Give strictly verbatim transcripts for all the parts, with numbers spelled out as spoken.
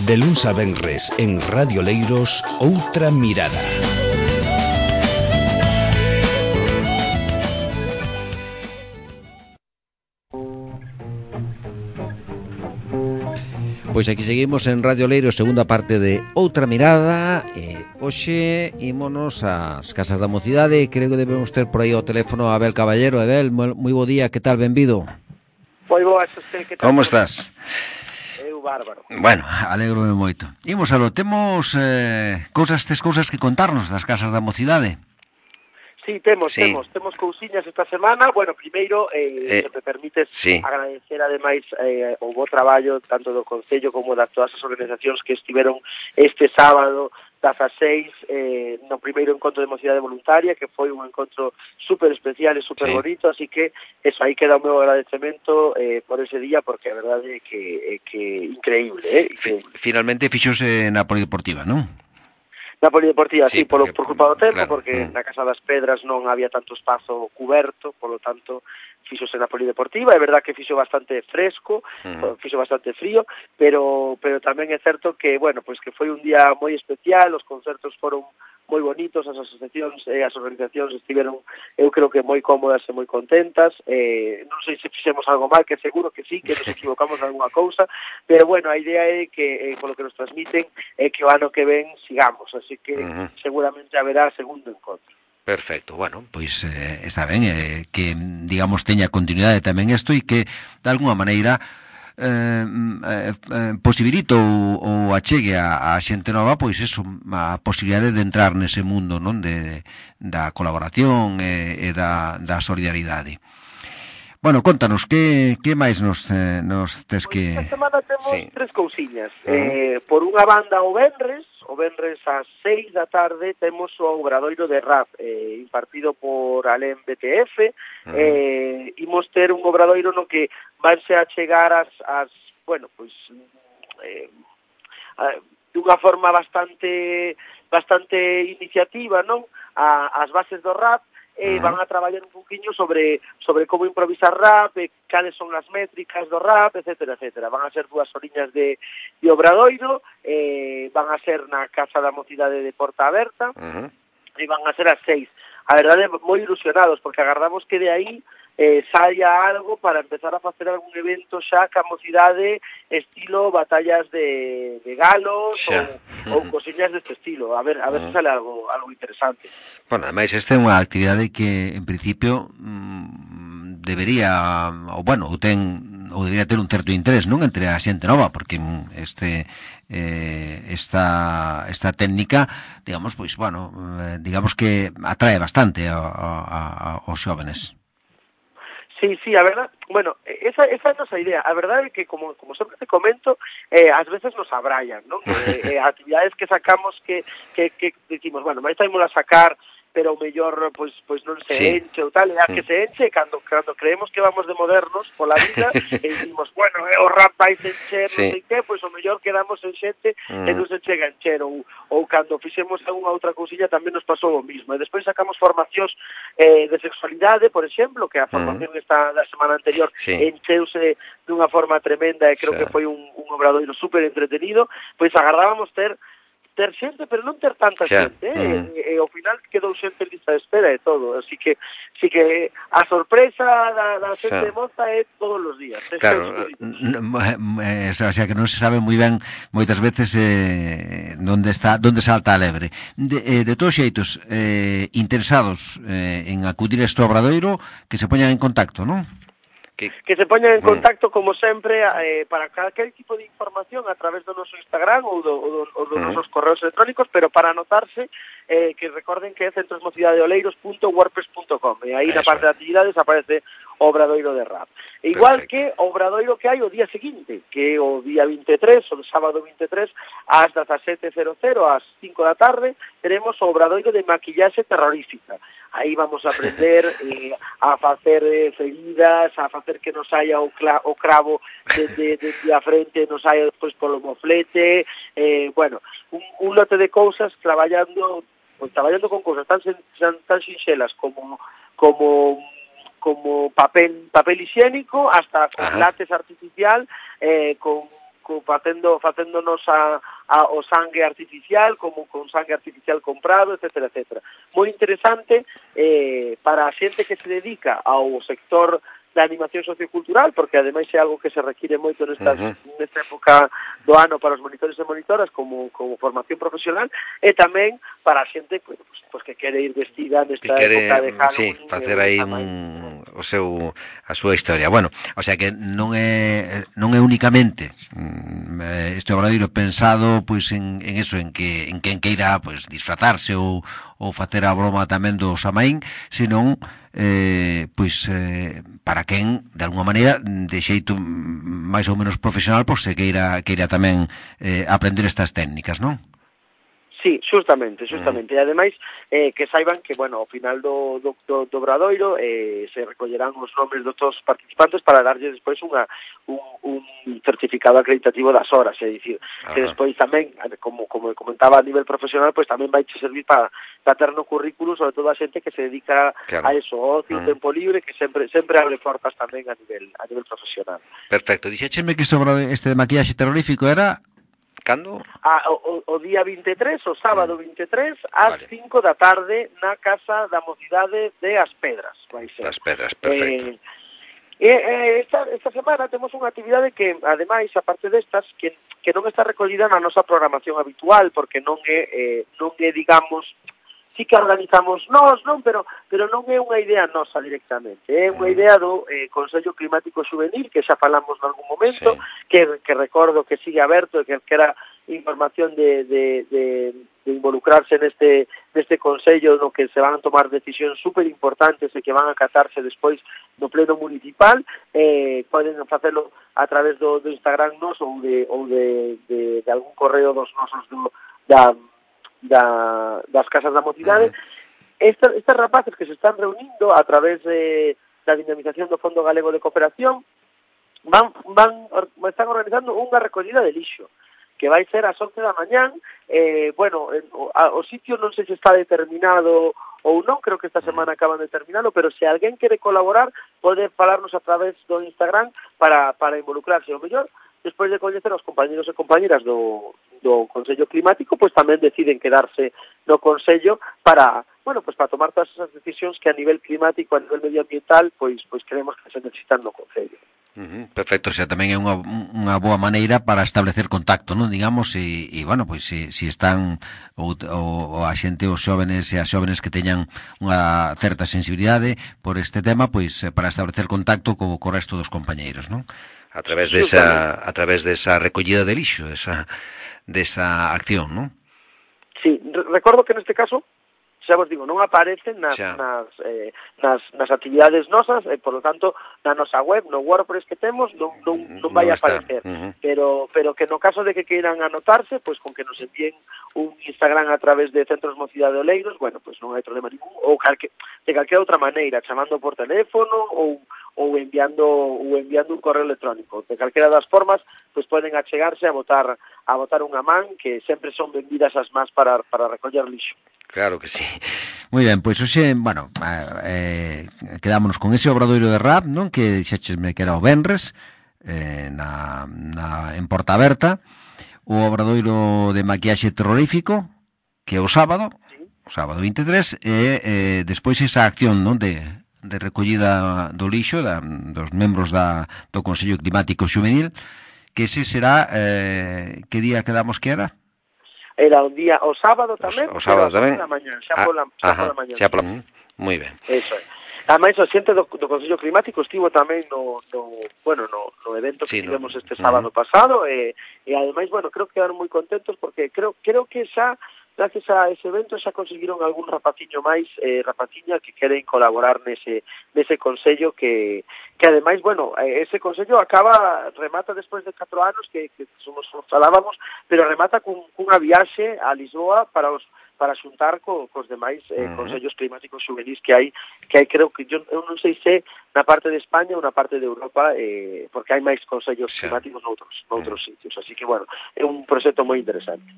De luns a venres en Radio Leiros, Outra Mirada. Pois aquí seguimos en Radio Leiros, segunda parte de Outra Mirada. E hoxe ímonos ás Casas da Mocidade. Creo que debemos ter por aí o teléfono a Abel Caballero. Abel, moi bo día, que tal, benvido? Moi boa, Xosé, que tal? Como estás? Eu bárbaro. Bueno, alégrome moito. Imos alo, temos eh, cousas, tes cousas que contarnos das Casas da Mocidade? Sí, temos, sí. temos, temos cousiñas esta semana. Bueno, primeiro, eh, eh, se me permites sí. agradecer ademais eh, o bo traballo tanto do Concello como de todas as organizacións que estiveron este sábado dezaseis eh, no primeiro encontro de mocidade voluntaria, que foi un encontro super especial e super sí. bonito, así que eso, aí queda o meu agradecemento eh, por ese día, porque a verdade é que, é que increíble, eh? Increíble. Finalmente fixose na Polideportiva, non? Na Polideportiva, sí, sí porque, por, por culpa do tempo, claro, porque mm. na Casa das Pedras non había tanto espazo cuberto, polo tanto, fixose na Polideportiva. É verdad que fixo bastante fresco, mm. fixo bastante frío, pero pero tamén é certo que, bueno, pois que foi un día moi especial, os concertos foron moi bonitos, as asociacións e as organizacións estiveron, eu creo que moi cómodas e moi contentas. Eh, non sei se fixemos algo mal, que seguro que sí, que nos equivocamos en alguna cousa, pero bueno, a idea é que, eh, polo que nos transmiten, é que o ano que ven sigamos, así que uh-huh. seguramente haberá segundo encontro. Perfecto, bueno, pois eh, está ben eh, que, digamos, teña continuidade tamén isto e que, de alguna maneira, Eh, eh, posibilita ou, ou achegue a, a xente nova, pois eso, a posibilidade de entrar nese mundo, non, de, da colaboración e, e da, da solidaridade. Bueno, contanos, que, que máis nos, eh, nos tes que... Pois esta semana temos sí. tres cousiñas. Uh-huh. Eh, por unha banda, o venres, o venres ás seis da tarde, temos o obradoiro de rap, eh, impartido por Alén B T F. Uh-huh. Eh, imos ter un obradoiro no que vanse a chegar as, as bueno, pois, eh, a, de unha forma bastante bastante iniciativa, non? A, as bases do rap, e van a traballar un poquinho sobre sobre como improvisar rap, e cales son as métricas do rap, etcétera, etcétera. Van a ser dúas horiñas de, de obradoiro, eh, van a ser na Casa da Mocidade de Porta Aberta, uh-huh. e van a ser as seis. A verdade, moi ilusionados, porque agardamos que de aí eh, saia algo para empezar a facer algún evento xa ca mocidade estilo batallas de, de galos ou, uh-huh. ou cosiñas deste estilo. A ver, a ver uh-huh. se sale algo, algo interesante. Bueno, ademais, esta é unha actividade que, en principio, mmm, debería, ou bueno, ou ten, ou debería ter un certo interés, non, entre a xente nova, porque este eh, esta esta técnica, digamos, pois, bueno, eh, digamos que atrae bastante a, a, a, aos xóvenes. Sí, sí, a verdad, bueno, esa, esa é a nosa idea. A verdade é que, como, como sempre te comento, eh, ás veces nos abraian, non? Eh, eh, actividades que sacamos que, que, que decimos, bueno, máis taimos a sacar, pero o mellor, pois, pois non se sí. enche ou tal, e a que se enche, cando, cando creemos que vamos de modernos pola vida, e dicimos, bueno, eh, o rap vai se encher, sí. non sei que, pois o mellor quedamos en xente mm. e non se chega a encher, ou, ou cando fixemos algunha outra cousilla tamén nos pasou o mismo, e despois sacamos formacións eh, de sexualidade, por exemplo, que a formación mm. esta da semana anterior sí. encheuse dunha forma tremenda, e creo sí. que foi un, un obradoiro super entretenido, pois agardábamos ter ter xente, pero non ter tanta xa. xente, eh? Mm. E, e ao final quedou xente en lista de espera e todo, así que así que a sorpresa da, da xente xa. moza é todos os días. Claro, o sea, que non se sabe moi ben moitas veces eh, onde está, onde salta a lebre. De, eh, de todos xeitos, eh, interesados eh, en acudir a este obradoiro, que se poñan en contacto, non? Que, que se poñan en contacto, como sempre, eh, para calquer tipo de información a través do noso Instagram ou do, ou do, ou dos uh-huh. nosos correos electrónicos, pero para anotarse, eh, que recorden que é centrosmocidadeoleiros punto wordpress punto com, e aí Eso. na parte de actividades aparece o obradoiro de rap. E igual Perfecto. que o obradoiro que hai o día seguinte, que é o día vinte e tres, o sábado vinte e tres, ás dezasete cero cero, ás cinco da tarde, teremos o obradoiro de maquillaxe terrorífica. Aí vamos a aprender eh, a facer eh, feridas, a facer que nos saia o, cla- o cravo desde de, de a frente, nos saia despois polo moflete, eh, bueno, un, un lote de cousas traballando, pues, traballando con cousas tan, tan, tan sinxelas como como como papel papel higiénico, hasta con látex artificial, eh, con co, facendo, facéndonos a, a, o sangue artificial, como con sangue artificial comprado, etcétera, etcétera. Moi interesante eh, para a xente que se dedica ao sector da animación sociocultural, porque ademais é algo que se require moito nestas, uh-huh. nesta época do ano para os monitores e monitoras como, como formación profesional, e tamén para a xente pues, pues, que quere ir vestida nesta quere, época de Halloween. Sí, facer aí un, o seu, a súa historia. Bueno, o sea que non é non é únicamente este obradoiro pensado pois en, en eso, en que en quen queira pois disfrazarse ou, ou facer a broma tamén do Samaín, senón eh, pois eh, para quen, de alguma maneira, de xeito máis ou menos profesional, pois se queira, queira tamén eh, aprender estas técnicas, non? Sí, justamente, justamente. Mm. E ademais, eh, que saiban que, bueno, ao final do, do, do, do obradoiro eh, se recollerán os nomes de todos os participantes para darlle despois unha, un, un certificado acreditativo das horas, é dicir, Ajá. que despois tamén, como, como comentaba a nivel profesional, pois tamén vai te servir para, para ter no currículum, sobre todo a xente que se dedica claro. a eso, ocio, mm. tempo libre, que sempre sempre abre portas tamén a nivel a nivel profesional. Perfecto. Dixécheme que sobre este de maquillaxe terrorífico era... Cando? Ah, o, o día vinte e tres, o sábado vinte e tres, ás vale. cinco da tarde na Casa da Mocidade de As Pedras, vai ser. As Pedras, perfecto. Eh, eh, esta, esta semana temos unha actividade que, ademais, aparte destas, que, que non está recollida na nosa programación habitual, porque non é, eh, non é, digamos, sí que organizamos nós, non, pero pero non é unha idea nosa directamente, é unha idea do eh, Consello Climático Xuvenil, que xa falamos en algún momento, sí. que, que recordo que sigue aberto, que era información de, de, de, de involucrarse neste, neste Consello, no que se van a tomar decisións super importantes e que van a acatarse despois no pleno municipal, eh, poden facelo a través do, do Instagram nos ou de, ou de, de, de algún correo dos nosos do, da Da, das casas da mocidade. Estas, estas rapaces que se están reunindo a través de, da dinamización do Fondo Galego de Cooperación van, van, están organizando unha recollida de lixo que vai ser ás once da mañán. Eh, bueno, o, a, o sitio non sei se está determinado ou non, creo que esta semana acaban de terminalo, pero se alguén quere colaborar pode falarnos a través do Instagram para, para involucrarse. O mellor, despois de coñecer aos compañeros e compañeras do, do Consello Climático, pois tamén deciden quedarse no Consello para, bueno, pois para tomar todas esas decisións que a nivel climático, a nivel medioambiental, pois pois creemos que se necesitan no Concello. Uh-huh, perfecto, o sea, tamén é unha, unha boa maneira para establecer contacto, non, digamos, e, e bueno, pois se si, si están ou, ou a xente, os xóvenes e as xóvenes que teñan unha certa sensibilidade por este tema, pois para establecer contacto co, co resto dos compañeiros, non? A través desa a través desa recollida de lixo, desa desa acción, non? Sí, recordo que neste caso xa vos digo, non aparecen nas, nas, eh, nas, nas actividades nosas, e, por lo tanto, na nosa web, no WordPress que temos, non, non, non vai a aparecer. Uh-huh. Pero, pero que no caso de que queiran anotarse, pois con que nos envíen un Instagram a través de Centros Mocidade de Oleiros, bueno, pois non hai problema ningún, ou calque, de calquera outra maneira, chamando por teléfono, ou ou enviando ou enviando un correo electrónico. De calquera das formas, pois poden achegarse a botar a botar unha man, que sempre son benvidas as más para para recoller lixo. Claro que sí. Moi ben, pois hoxe, bueno, eh, quedámonos con ese obradoiro de rap, non? Que dixéchesme que era o venres, eh, na, na, en Porta Aberta, o obradoiro de maquillaxe terrorífico, que é o sábado, sí. o sábado vinte e tres, e eh, despois esa acción, non, de de recollida do lixo da, dos membros da, do Consello Climático Xuvenil, que ese será, eh, que día quedamos que era? Era o día, o sábado tamén, o, o sábado tamén, pola mañá, xa pola, xa pola mañá. Xa pola, moi ben. Eso é. Ademais, o xente do, do Consello Climático estivo tamén no, no bueno, no, no evento que sí, tivemos no, este sábado uh-huh. pasado, e, e ademais, bueno, creo que quedaron moi contentos porque creo creo que xa gracias a ese evento xa conseguiron algún rapaciño máis, eh, rapaciña que queren colaborar nese nese consello que que ademais, bueno, ese consello acaba, remata despois de catro anos que, que somos falábamos, pero remata cun, cunha viaxe a Lisboa para os para xuntar co, cos demais eh, uh-huh. consellos climáticos xuvenís que hai, que hai creo que yo, eu non sei se na parte de España ou na parte de Europa, eh, porque hai máis consellos sí. climáticos noutros, noutros uh-huh. sitios, así que, bueno, é un proxecto moi interesante.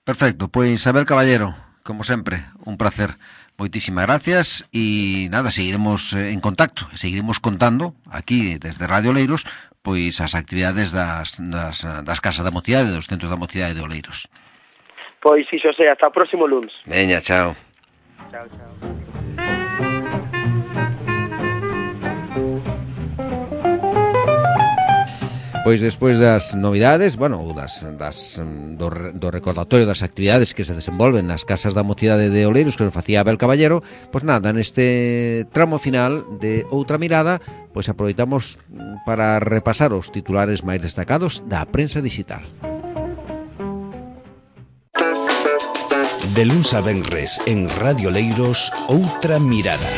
Perfecto, pois Isabel Caballero, como sempre, un placer. Moitísimas gracias e nada, seguiremos en contacto, seguiremos contando aquí desde Radio Oleiros pois as actividades das, das, das casas da mocidade, dos centros da mocidade de Oleiros. Pois si, Xosé, hasta o próximo lunes. Veña, chao. Chao, chao. Pois despois das novidades, bueno, das, das, do, do recordatorio das actividades que se desenvolven nas casas da mocidade de Oleiros que nos facía Abel Caballero, pois nada, neste tramo final de Outra Mirada, pois aproveitamos para repasar os titulares máis destacados da prensa digital. De luns a venres en Radio Leiros, Outra Mirada.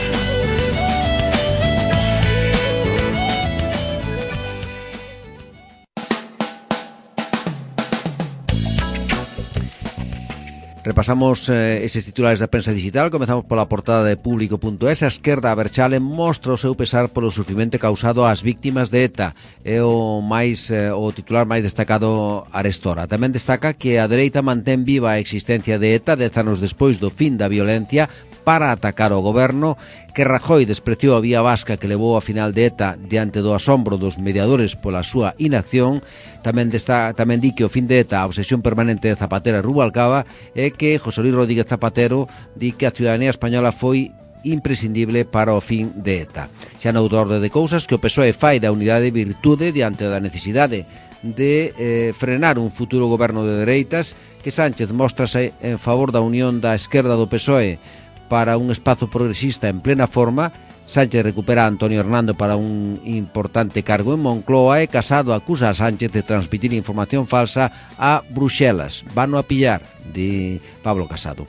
Repasamos eh, eses titulares da prensa digital. Comezamos pola portada de público punto es. A esquerda Berchale mostra o seu pesar polo sufrimento causado ás víctimas de ETA. É o máis eh, o titular máis destacado arestora. Tamén destaca que a dereita mantén viva a existencia de ETA dez anos despois do fin da violencia para atacar o goberno, que Rajoy despreciou a vía vasca que levou a final de ETA diante do asombro dos mediadores pola súa inacción. Tamén, desta, tamén di que o fin de ETA, a obsesión permanente de Zapatero e Rubalcaba, é que José Luis Rodríguez Zapatero di que a ciudadanía española foi imprescindible para o fin de ETA. Xa noutra orde de cousas que o P S O E fai da unidade virtude diante da necesidade de eh, frenar un futuro goberno de dereitas, que Sánchez mostrase en favor da unión da esquerda do P S O E para un espazo progresista en plena forma. Sánchez recupera a Antonio Hernando para un importante cargo en Moncloa e Casado acusa a Sánchez de transmitir información falsa a Bruxelas. Vano a pillar, di Pablo Casado.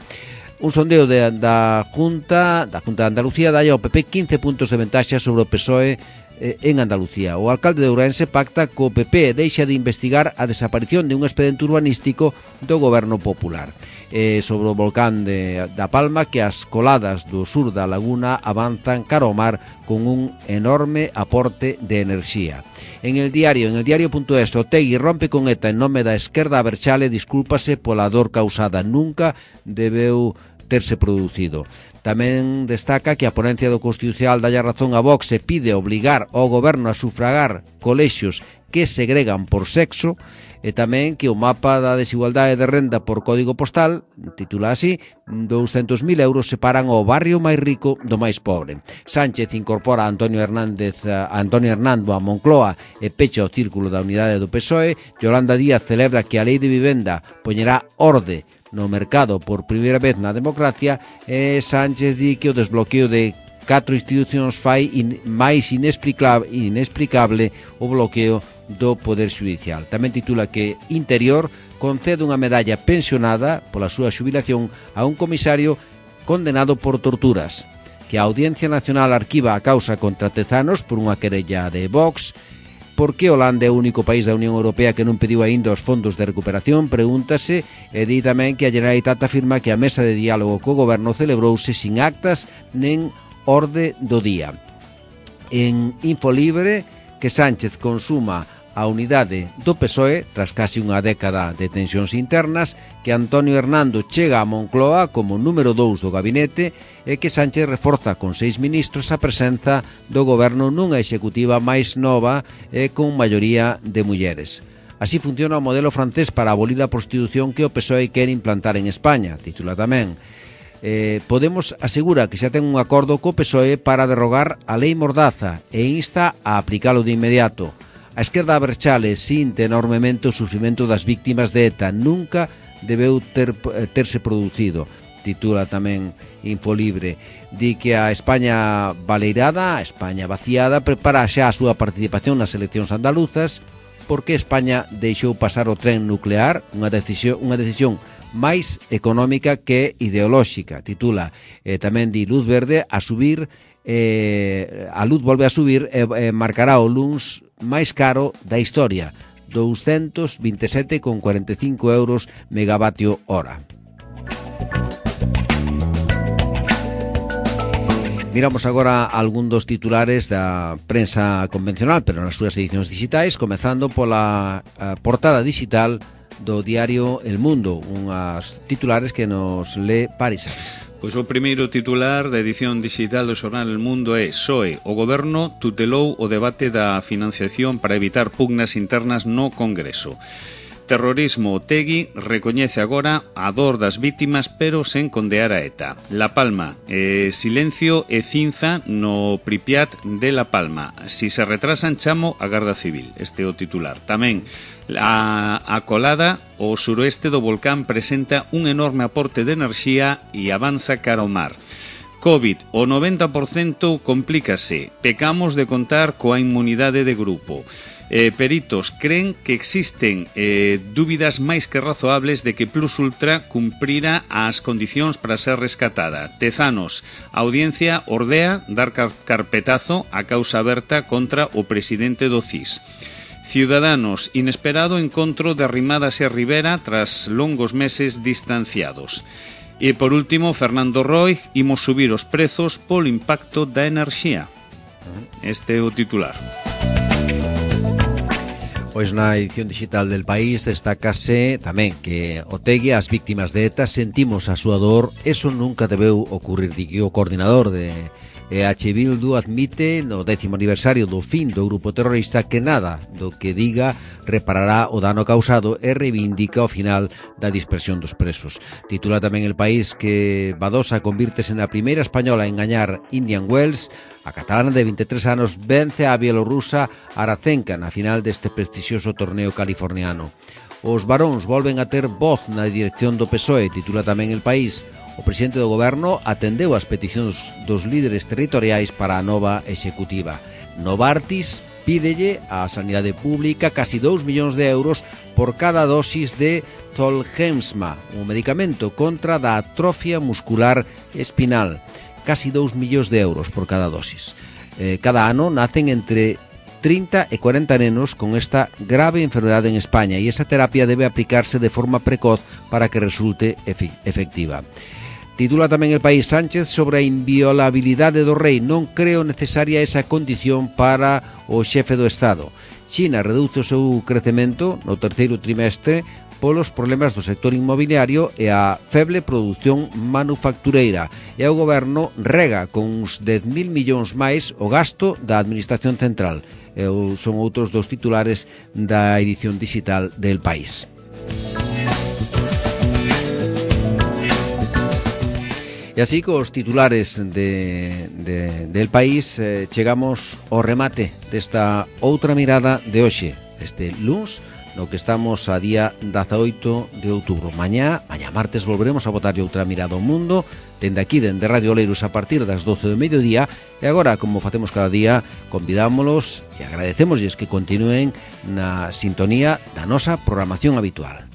Un sondeo de, da Junta da Junta de Andalucía dá ao P P quince puntos de ventaxa sobre o P S O E en Andalucía. O alcalde de Ourense pacta co P P e deixa de investigar a desaparición de un expediente urbanístico do goberno popular. E sobre o volcán de, da Palma, que as coladas do sur da laguna avanzan cara ao mar con un enorme aporte de enerxía. En el diario, en el diario punto es, Otegui rompe con ETA en nome da esquerda Berchale, discúlpase pola dor causada, nunca debeu terse producido. Tamén destaca que a ponencia do Constitucional dalle razón a Vox e pide obligar ao goberno a sufragar colexios que segregan por sexo, e tamén que o mapa da desigualdade de renda por código postal, titula así, douscentos mil euros separan o barrio máis rico do máis pobre. Sánchez incorpora a Antonio Hernández a Antonio Hernando a Moncloa e pecha o círculo da unidade do P S O E. Yolanda Díaz celebra que a lei de vivenda poñerá orde no mercado por primeira vez na democracia, e Sánchez di que o desbloqueo de catro institucións fai in, máis inexplicable, inexplicable o bloqueo do Poder Judicial. Tamén titula que Interior concede unha medalla pensionada pola súa xubilación a un comisario condenado por torturas, que a Audiencia Nacional arquiva a causa contra Tezanos por unha querella de Vox. Por que Holanda é o único país da Unión Europea que non pediu aínda os fondos de recuperación? Pregúntase, e di tamén que a Generalitat afirma que a mesa de diálogo co goberno celebrouse sin actas nen orde do día. En Infolibre, que Sánchez consuma a unidade do P S O E tras casi unha década de tensións internas, que Antonio Hernando chega a Moncloa como número dous do gabinete e que Sánchez reforza con seis ministros a presenza do goberno nunha executiva máis nova e con maioría de mulleres. Así funciona o modelo francés para abolir a prostitución que o P S O E quere implantar en España, titula tamén. Eh, Podemos asegura que xa ten un acordo co P S O E para derrogar a lei Mordaza e insta a aplicalo de inmediato. A esquerda Berchale sinte enormemente o sufrimento das víctimas de ETA, nunca debeu ter, terse producido, titula tamén Infolibre. Di que a España baleirada, a España vaciada, prepara xa a súa participación nas eleccións andaluzas, porque España deixou pasar o tren nuclear, unha decisión, unha decisión máis económica que ideolóxica, titula. Eh, tamén di luz verde a subir, eh, a luz volve a subir e eh, marcará o luns máis caro da historia, doscientos veintisiete con cuarenta e cinco euros megavatio hora. Miramos agora algún dos titulares da prensa convencional, pero nas súas edicións digitais, comezando pola uh, portada digital do diario El Mundo, unhas titulares que nos lee Paris Saez. Pois o primeiro titular da edición digital do xornal El Mundo é: P S O E, o goberno tutelou o debate da financiación para evitar pugnas internas no Congreso. Terrorismo, Otegi recoñece agora a dor das vítimas, pero sen condear a ETA. La Palma, eh, silencio e cinza no Pripyat de La Palma. Si se retrasan, chamo a Garda Civil. Este é o titular. Tamén, a, a colada, o suroeste do volcán presenta un enorme aporte de enerxía e avanza cara ao mar. COVID, o noventa por cento complícase. Pecamos de contar coa inmunidade de grupo. Eh, peritos creen que existen eh, dúbidas máis que razoables de que Plus Ultra cumprira as condicións para ser rescatada. Tezanos, a audiencia ordea dar car carpetazo a causa aberta contra o presidente do C I S. Ciudadanos, inesperado encontro de Arrimadas e Rivera tras longos meses distanciados. E por último, Fernando Roig, imos subir os prezos polo impacto da enerxía. Este é o titular. Pois na edición digital del País destácase tamén que Otegi, as víctimas de ETA, sentimos a súa dor, eso nunca debeu ocurrir, di que o coordinador de E H Bildu admite no décimo aniversario do fin do grupo terrorista que nada do que diga reparará o dano causado e reivindica o final da dispersión dos presos. Titula tamén El País que Badosa convírtese na primeira española en gañar Indian Wells. A catalana de vinte e tres anos vence a bielorrusa Arazenka na final deste prestixioso torneo californiano. Os varóns volven a ter voz na dirección do P S O E, titula tamén El País. O presidente do goberno atendeu as peticións dos líderes territoriais para a nova executiva. Novartis pídelle á sanidade pública casi dous millóns de euros por cada dosis de Zolgensma, un medicamento contra da atrofia muscular espinal. Casi dous millóns de euros por cada dosis. Eh, cada ano nacen entre trinta e cuarenta nenos con esta grave enfermedade en España e esa terapia debe aplicarse de forma precoz para que resulte efectiva. Titula tamén El País: Sánchez sobre a inviolabilidade do rei. Non creo necesaria esa condición para o xefe do Estado. China reduce o seu crecemento no terceiro trimestre polos problemas do sector inmobiliario e a feble produción manufactureira. E o goberno rega con uns dez mil millóns máis o gasto da Administración Central. E son outros dos titulares da edición digital del País. E así, cos titulares de, de, del País, eh, chegamos ao remate desta outra mirada de hoxe, este luns, no que estamos a día dezaoito de outubro. Mañá, mañá martes, volveremos a botarlle outra mirada ao mundo, dende aquí, dende Radio Oleiros, a partir das doce do mediodía, e agora, como facemos cada día, convidámolos e agradecémoslles que continúen na sintonía da nosa programación habitual.